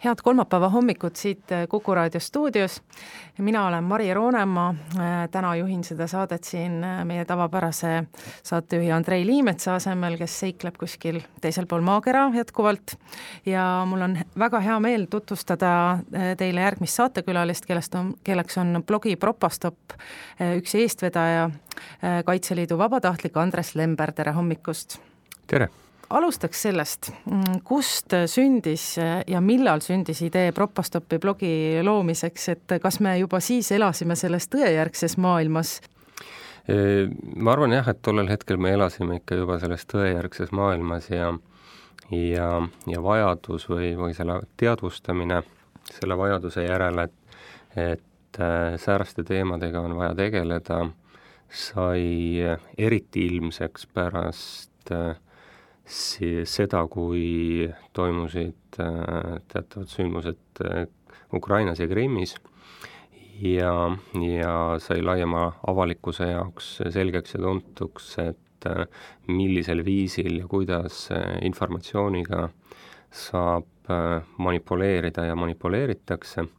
Head kolmapäeva hommikut siit Kuku Raadio stuudios. Mina olen Mari Roonemaa, täna juhin seda saadet siin meie tavapärase saatejuhi Andrei Liimetsa asemel, kes seikleb kuskil teisel pool maakera jätkuvalt. Ja mul on väga hea meel tutvustada teile järgmist saatekülalist, kelleks on blogi Propastop üks eestvedaja, Kaitseliidu vabatahtlik Andres Lember. Tere hommikust! Tere! Alustaks sellest, kust sündis ja millal sündis idee Propastopi blogi loomiseks, et kas me juba siis elasime selles tõejärgses maailmas? Ma arvan jah, et tollel hetkel me elasime ikka juba selles tõejärgses maailmas ja vajadus või selle teadvustamine selle vajaduse järele, et sääraste teemadega on vaja tegeleda, sai eriti ilmseks pärast seda, kui toimusid teatavad sündmused Ukrainas ja Krimmis ja sai laiema avalikkuse jaoks selgeks ja tuntuks, et millisel viisil ja kuidas informatsiooniga saab manipuleerida ja manipuleeritakse.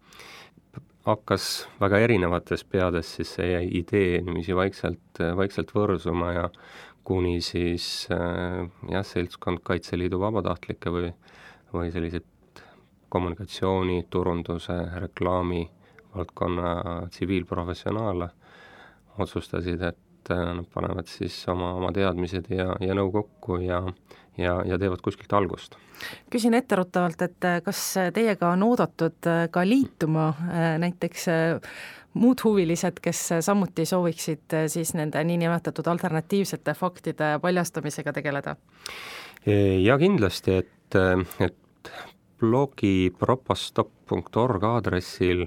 Hakkas väga erinevates peades siis see idee niiviisi vaikselt võrsuma ja kuni siis seltskond Kaitseliidu vabatahtlikke või sellised kommunikatsiooni, turunduse, reklaami valdkonna tsiviilprofessionaale otsustasid, et nad panevad siis oma teadmised ja nõu kokku ja teevad kuskilt algust. Küsin etteruttavalt, et kas teiega on oodatud ka liituma näiteks muud huvilised, kes samuti sooviksid siis nende niinimetatud alternatiivsete faktide paljastamisega tegeleda? Ja kindlasti, et blogi propastop.org aadressil,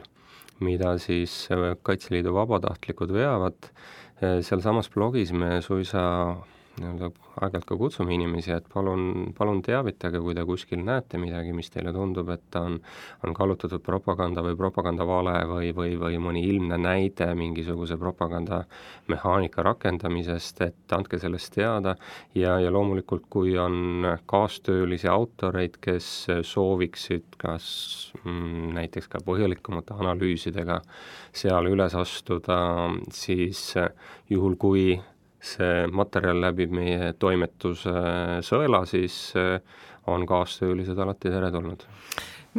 mida siis Kaitseliidu vabatahtlikud veavad, seal samas blogis me suisa aeg-ajalt ka kutsume inimesi, et palun teavitage, kui te kuskil näete midagi, mis teile tundub, et on kallutatud propaganda või propagandavale või mõni ilmne näide mingisuguse propagandamehaanika rakendamisest, et andke sellest teada ja loomulikult, kui on kaastöölisi autoreid, kes sooviksid kas näiteks ka põhjalikumate analüüsidega seal üles astuda, siis juhul kui see materjal läbib meie toimetuse sõela, siis on kaastöölised alati teretulnud.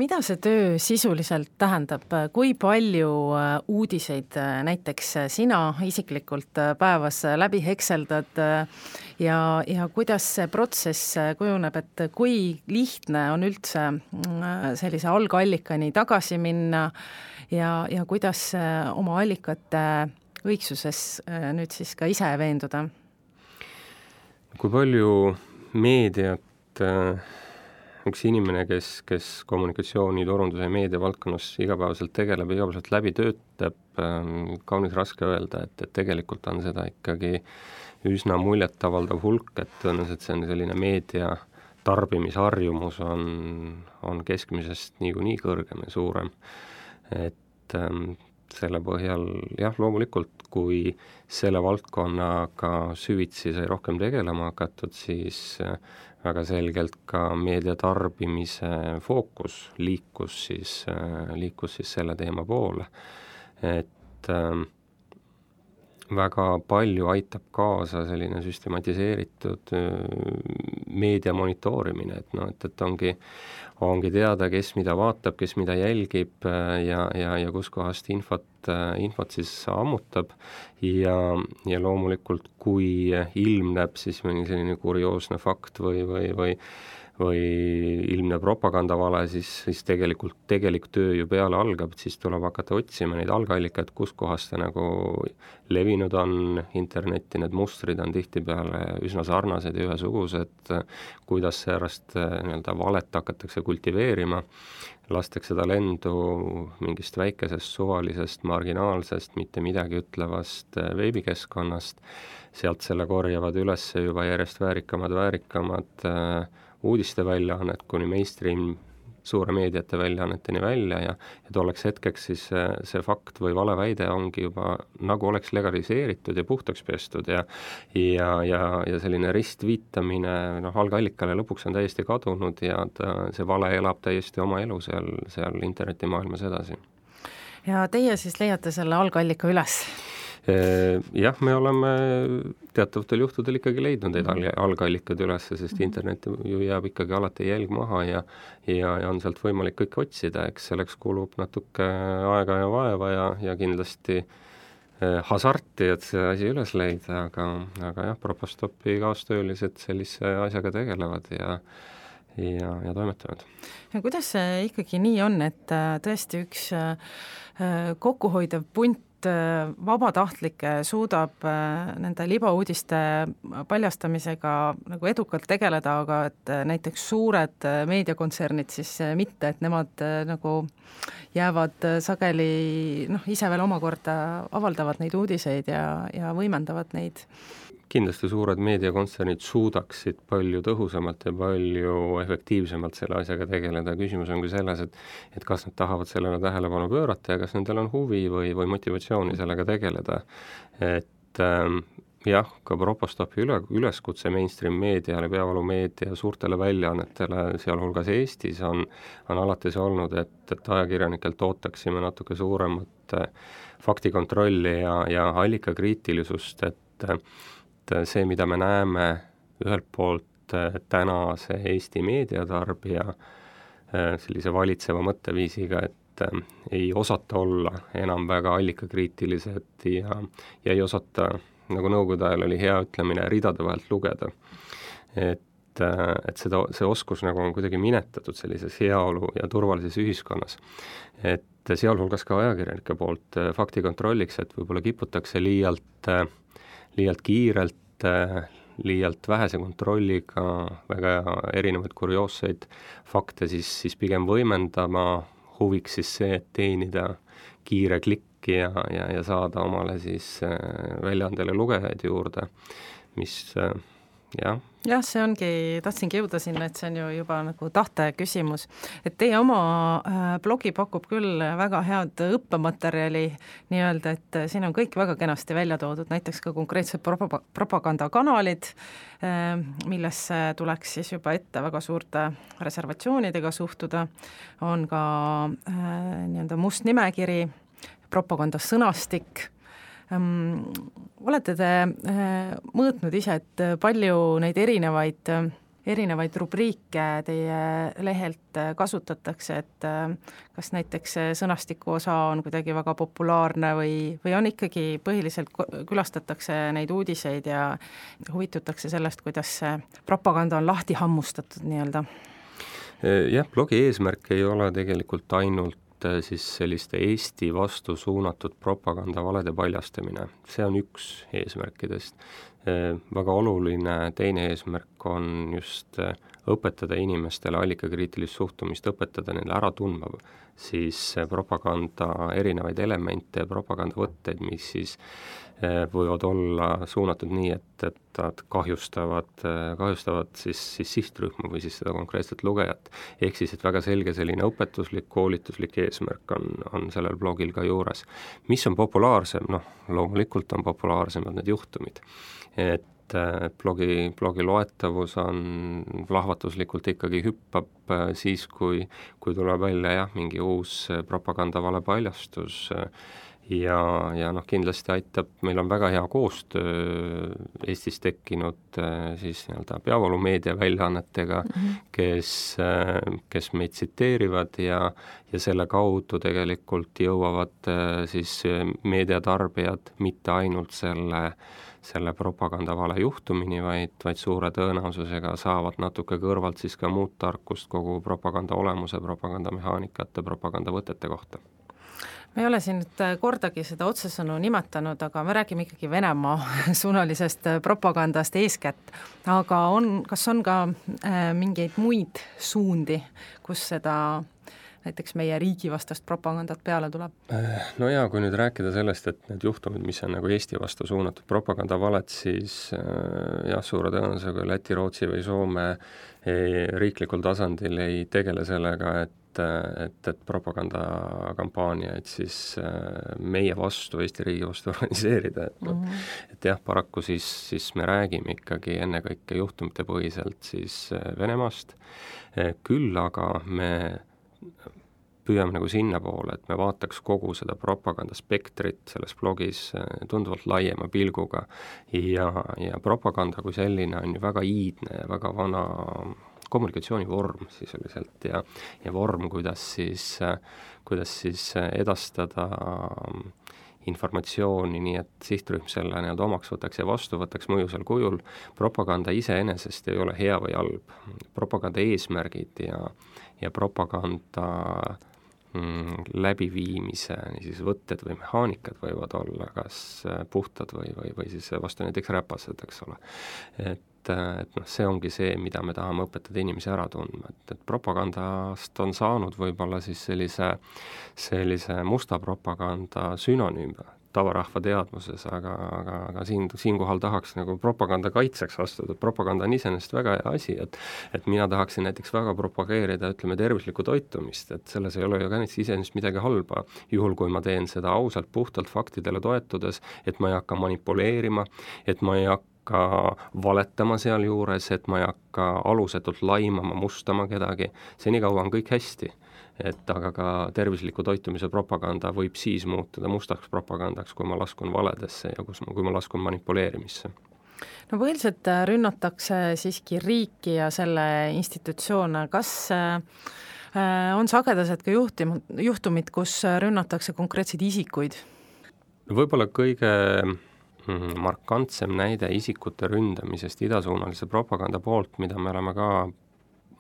Mida see töö sisuliselt tähendab? Kui palju uudiseid näiteks sina isiklikult päevas läbi hekseldad ja kuidas see protsess kujuneb, et kui lihtne on üldse sellise algallikani tagasi minna ja kuidas oma allikate õigsuses nüüd siis ka ise veenduda? Kui palju meediat üks inimene, kes kommunikatsiooni, turunduse ja meedia valdkonnas igapäevaselt tegeleb, igapäevaselt läbi töötab, kaunis raske öelda, et tegelikult on seda ikkagi üsna muljetavaldav hulk, et tõenäoliselt see on selline meedia tarbimisharjumus on keskmisest niikuinii kõrgem ja suurem, et selle põhjal, jah, loomulikult, kui selle valdkonnaga süvitsi sai rohkem tegelema hakatud, siis väga selgelt ka meedia tarbimise fookus liikus siis selle teema poole. Et väga palju aitab kaasa selline süstematiseeritud meedia monitoorimine, et ongi teada, kes mida vaatab, kes mida jälgib ja kus kohast infot siis ammutab ja loomulikult, kui ilmneb siis mõni selline kurioosne fakt või ilmne propagandavale, siis tegelik töö ju peale algab, siis tuleb hakata otsima neid algallikaid, kus kohas ta nagu levinud on internetti, need mustrid on tihtipeale üsna sarnased ja ühesugused, kuidas säärast nii-öelda valet hakatakse kultiveerima, lastakse ta lendu mingist väikesest, suvalisest, marginaalsest, mitte midagi ütlevast veebikeskkonnast, sealt selle korjavad üles juba järjest väärikamad uudisteväljaannet kuni mainstream suure meediate väljaanneteni välja ja tolleks hetkeks siis see fakt või valeväide ongi juba nagu oleks legaliseeritud ja puhtaks pestud ja selline ristviitamine algallikale lõpuks on täiesti kadunud ja see vale elab täiesti oma elu seal internetimaailmas edasi. Ja teie siis leiate selle algallika üles? Jah, me oleme teatavatel juhtudel ikkagi leidnud neid algallikad üles, sest internet ju jääb ikkagi alati jälg maha ja on sealt võimalik kõik otsida, eks selleks kulub natuke aega ja vaeva ja kindlasti hasarti, et see asi üles leida, aga jah, Propostopi kaastöölised sellise asjaga tegelevad ja toimetavad. Ja kuidas see ikkagi nii on, et tõesti üks kokkuhoidev punt vabatahtlikke suudab nende libauudiste paljastamisega nagu edukalt tegeleda, aga et näiteks suured meediakontsernid siis mitte, et nemad nagu jäävad sageli ise veel omakorda avaldavad neid uudiseid ja võimendavad neid. Kindlasti suured meediakontsernid suudaksid palju tõhusamalt ja palju efektiivsemalt selle asjaga tegeleda. Küsimus on ka selles, et kas nad tahavad sellele tähelepanu pöörata ja kas nendel on huvi või motivatsiooni sellega tegeleda. Et jah, ka Propostopi üleskutse mainstream meediale, peavoolumeedia suurtele väljaannetele, sealhulgas Eestis on alati see olnud, et ajakirjanikelt ootaksime natuke suuremat faktikontrolli ja allikakriitilisust, et see, mida me näeme ühelt poolt tänase Eesti meediatarbija sellise valitseva mõtteviisiga, et ei osata olla enam väga allikakriitilised ja ei osata, nagu nõukogude ajal oli hea ütlemine, ridade vahelt lugeda. Et see oskus nagu on kuidagi minetatud sellises heaolu ja turvalises ühiskonnas. Et sealhulgas ka ajakirjanike poolt faktikontrolliks, et võib-olla kiputakse liialt kiirelt, liialt vähese kontrolliga väga erinevaid kurioosseid fakte siis pigem võimendama, huviks siis see, et teenida kiire klikki ja saada omale siis väljaandele lugejaid juurde, mis jah, see ongi, tahtsingi jõuda sinna, et see on ju juba nagu tahte küsimus. Et teie oma blogi pakub küll väga head õppematerjali nii-öelda, et siin on kõik väga kenasti välja toodud, näiteks ka konkreetsed propagandakanalid, millesse tuleks siis juba ette väga suurte reservatsioonidega suhtuda, on ka nii-öelda must nimekiri, propagandasõnastik. Olete te mõõtnud ise, et palju neid erinevaid rubriike teie lehelt kasutatakse, et kas näiteks sõnastiku osa on kuidagi väga populaarne või on ikkagi põhiliselt külastatakse neid uudiseid ja huvitutakse sellest, kuidas see propaganda on lahti hammustatud nii-öelda? Jah, blogi eesmärk ei ole tegelikult ainult siis selliste Eesti vastu suunatud propagandavalede paljastamine. See on üks eesmärkidest. Väga oluline teine eesmärk on just õpetada inimestele allikakriitilist suhtumist, õpetada neile ära tundma siis propaganda erinevaid elemente ja propagandavõtteid, mis siis võivad olla suunatud nii, et nad kahjustavad siis sihtrühma või siis seda konkreetset lugejat. Ehk siis, et väga selge selline õpetuslik, koolituslik eesmärk on sellel blogil ka juures. Mis on populaarsem? Loomulikult on populaarsemad need juhtumid. Et blogi loetavus on plahvatuslikult ikkagi hüppab siis, kui tuleb välja mingi uus propagandavale paljastus ja kindlasti aitab, meil on väga hea koostöö Eestis tekkinud siis nii-öelda peavoolumeedia väljaannetega, kes meid tsiteerivad ja selle kaudu tegelikult jõuavad siis meediatarbijad mitte ainult selle propagandavale juhtumini, vaid suure tõenäosusega saavad natuke kõrvalt siis ka muud tarkust kogu propaganda olemuse, propagandamehaanikate, propagandavõtete kohta. Me ei ole siin nüüd kordagi seda otsesõnu nimetanud, aga me räägime ikkagi Venemaa suunalisest propagandast eeskätt. Aga kas on ka mingeid muid suundi, kus seda näiteks meie riigi vastast propagandat peale tuleb? No jaa, kui nüüd rääkida sellest, et need juhtumid, mis on nagu Eesti vastu suunatud propagandavaled, siis jah, suure tõenäosusega Läti, Rootsi või Soome riiklikul tasandil ei tegele sellega, et propagandakampaaniaid siis meie vastu, Eesti riigi vastu organiseerida, et jah, paraku siis me räägime ikkagi ennekõike juhtumite põhiselt siis Venemaast, küll aga me püüame nagu sinnapoole, et me vaataks kogu seda propagandaspektrit selles blogis tunduvalt laiema pilguga ja propaganda kui selline on ju väga iidne ja väga vana kommunikatsioonivorm sisuliselt ja vorm, kuidas siis edastada informatsiooni, nii et sihtrühm selle nii-öelda omaks võtaks ja vastu võtaks mõjusal kujul. Propaganda iseenesest ei ole hea või halb. Propaganda eesmärgid ja propaganda läbiviimise siis võtted või mehaanikad võivad olla kas puhtad või siis vastu näiteks räpased, eks ole. Et see ongi see, mida me tahame õpetada inimesi ära tundma, et propagandast on saanud võib-olla siis sellise musta propaganda sünonüüm tavarahva teadvuses, aga siinkohal tahaks nagu propaganda kaitseks astuda. Propaganda on iseenesest väga hea asi, et mina tahaksin näiteks väga propageerida, ütleme, tervislikku toitumist, et selles ei ole ju ka iseenesest midagi halba, juhul kui ma teen seda ausalt, puhtalt faktidele toetudes, et ma ei hakka manipuleerima, et ma ei hakka valetama sealjuures, et ma ei hakka alusetult laimama, mustama kedagi, senikaua on kõik hästi. Aga ka tervisliku toitumise propaganda võib siis muutuda mustaks propagandaks, kui ma laskun valedesse ja kui ma laskun manipuleerimisse. No põhiliselt rünnatakse siiski riiki ja selle institutsioone. Kas on sagedased ka juhtumid, kus rünnatakse konkreetseid isikuid? Võib-olla kõige markantsem näide isikute ründamisest idasuunalise propaganda poolt, mida me oleme ka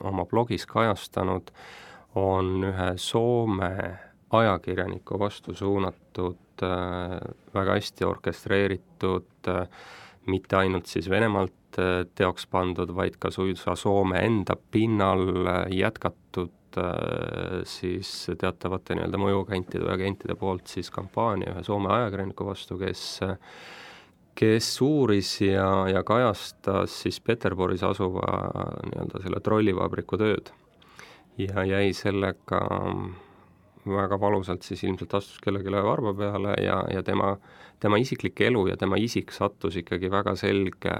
oma blogis kajastanud, on ühe Soome ajakirjaniku vastu suunatud, väga hästi orkestreeritud, mitte ainult siis Venemaalt teoks pandud, vaid ka suisa Soome enda pinnal jätkatud siis teatavate nii-öelda mõjuagentide või agentide poolt siis kampaania ühe Soome ajakirjaniku vastu, kes uuris ja kajastas siis Peterburis asuva nii-öelda selle trollivabriku tööd. Ja jäi sellega väga valusalt siis ilmselt astus kellelegi varba peale ja tema isiklik elu ja tema isik sattus ikkagi väga selge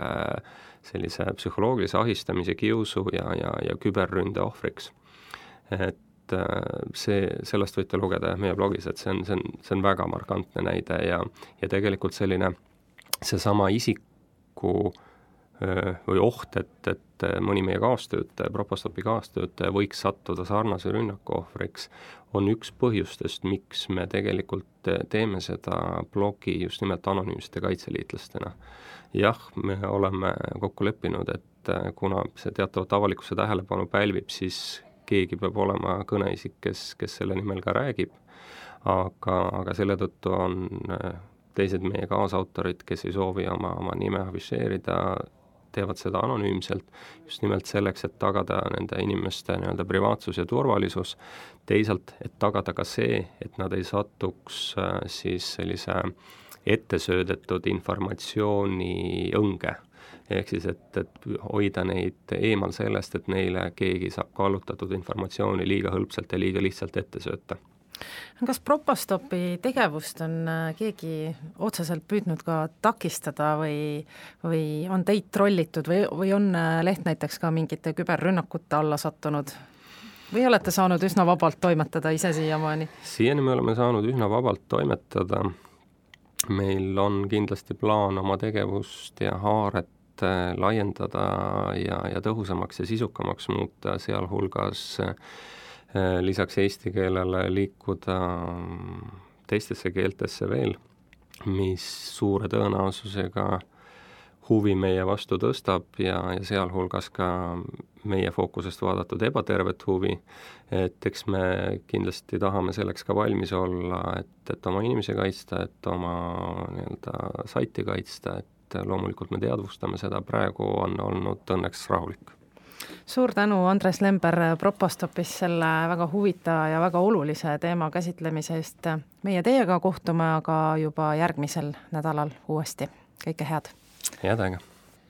sellise psühholoogilise ahistamise, kiusu ja küberründe ohvriks. Et sellest võite lugeda meie blogis, et see on väga markantne näide ja tegelikult seesama isiku või oht, et mõni meie kaastöötaja, Propastopi kaastöötaja võiks sattuda sarnase rünnaku ohvriks, on üks põhjustest, miks me tegelikult teeme seda blogi just nimelt anonüümsete kaitseliitlastena. Jah, me oleme kokku leppinud, et kuna see teatavat avalikkuse tähelepanu pälvib, siis keegi peab olema kõneisik, kes selle nimel ka räägib, aga selle tõttu on teised meie kaasautorid, kes ei soovi oma nime afišeerida, teevad seda anonüümselt, just nimelt selleks, et tagada nende inimeste nii-öelda privaatsus ja turvalisus, teisalt, et tagada ka see, et nad ei satuks siis sellise ettesöödetud informatsiooni õnge. Ehk siis, et hoida neid eemal sellest, et neile keegi saab kallutatud informatsiooni liiga hõlpselt ja liiga lihtsalt ette sööta. Kas Propastopi tegevust on keegi otseselt püüdnud ka takistada või on teid trollitud või on leht näiteks ka mingite küberrünnakute alla sattunud? Või olete saanud üsna vabalt toimetada ise siiamaani? Siiani me oleme saanud üsna vabalt toimetada. Meil on kindlasti plaan oma tegevust ja haaret laiendada ja tõhusamaks ja sisukamaks muuta, sealhulgas lisaks eesti keelele liikuda teistesse keeltesse veel, mis suure tõenäosusega huvi meie vastu tõstab ja sealhulgas ka meie fookusest vaadatud ebatervet huvi, et eks me kindlasti tahame selleks ka valmis olla, et oma inimesi kaitsta, et oma nii-öelda saiti kaitsta, et loomulikult me teadvustame seda, praegu on olnud õnneks rahulik. Suur tänu, Andres Lember Propastopis selle väga huvitava ja väga olulise teema käsitlemise eest. Meie teiega kohtume aga juba järgmisel nädalal uuesti. Kõike head! Head aega!